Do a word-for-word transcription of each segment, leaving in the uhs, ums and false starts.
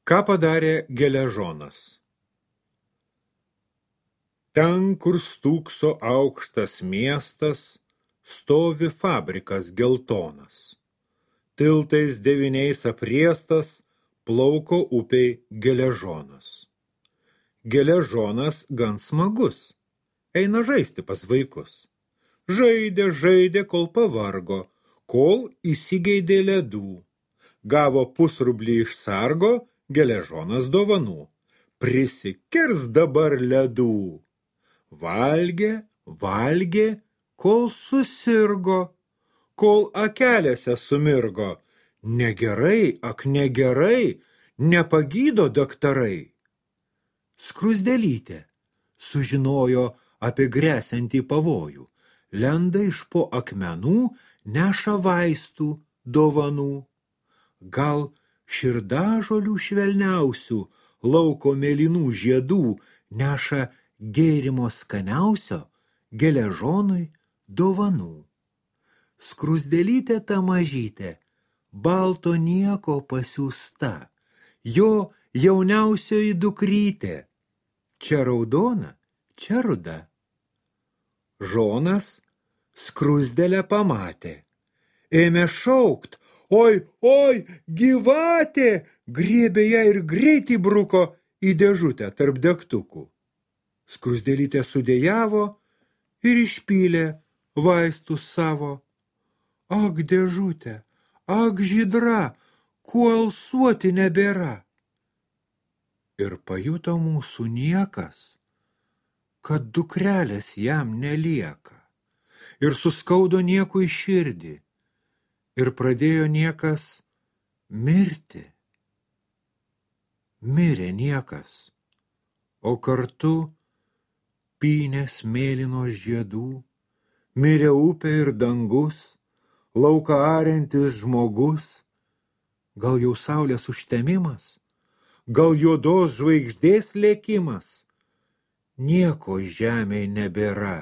Ką padarė Geležonas? Ten, kur stūkso aukštas miestas, stovi fabrikas geltonas. Tiltais devyniais apriestas, plauko upei Geležonas. Geležonas gan smagus, eina žaisti pas vaikus. Žaidė, žaidė, kol pavargo, kol įsigeidė ledų. Gavo pusrublį iš sargo, Geležonas dovanų. Prisikirs dabar ledų. Valgė, valgė, kol susirgo, kol akelėse sumirgo. Negerai, ak negerai, nepagydo daktarai. Skruzdėlytė sužinojo apie gresiantį pavojų. Lenda iš po akmenų, neša vaistų dovanų. Gal širdažolių švelniausių, lauko mėlynų žiedų neša gėrimo skaniausio Geležonui dovanų. Skruzdėlytė ta mažytė, balto nieko pasiųsta, jo jauniausioji dukrytė, čia raudona, čia ruda. Žonas skruzdėlę pamatė, ėmė šaukt, oi, oi, gyvatė, griebė ją ir greitai bruko į dėžutę tarp degtukų. Skruzdėlytė sudėjavo ir išpylė vaistus savo. Ak, dėžutė, ak, žydra, kuo alsuoti nebėra. Ir pajuto mūsų niekas, kad dukrelės jam nelieka. Ir suskaudo niekui širdį. Ir pradėjo niekas mirti. Mirė niekas, o kartu pynės mėlynos žiedų, mirė upė ir dangus, lauką ariantis žmogus. Gal jau saulės užtemimas, gal juodos žvaigždės lėkimas. Nieko žemėj nebėra,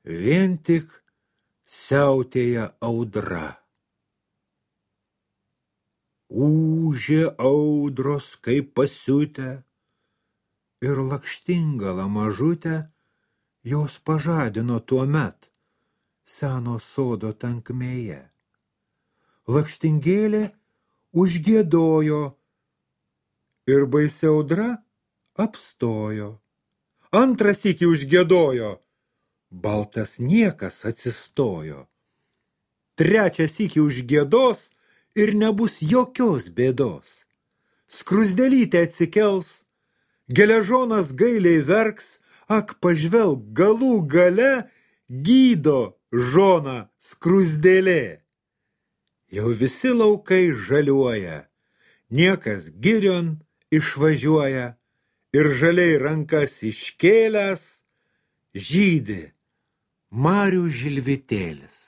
vien tik siautėja audra. Ūžė audros kaip pasiutę, ir lakštingala mažutė jos pažadino tuomet seno sodo tankmėje. Lakštingėlė užgiedojo ir baisi audra apstojo. Antras sykį užgiedojo, baltas niekas atsistojo. Trečias sykį užgiedos ir nebus jokios bėdos. Skruzdėlytė atsikels, Geležonas gailiai verks, ak pažvelk, galų gale gydo žoną skruzdėlė. Jau visi laukai žaliuoja, niekas girion išvažiuoja ir žaliai rankas iškėlęs žydi marių žilvitėlis.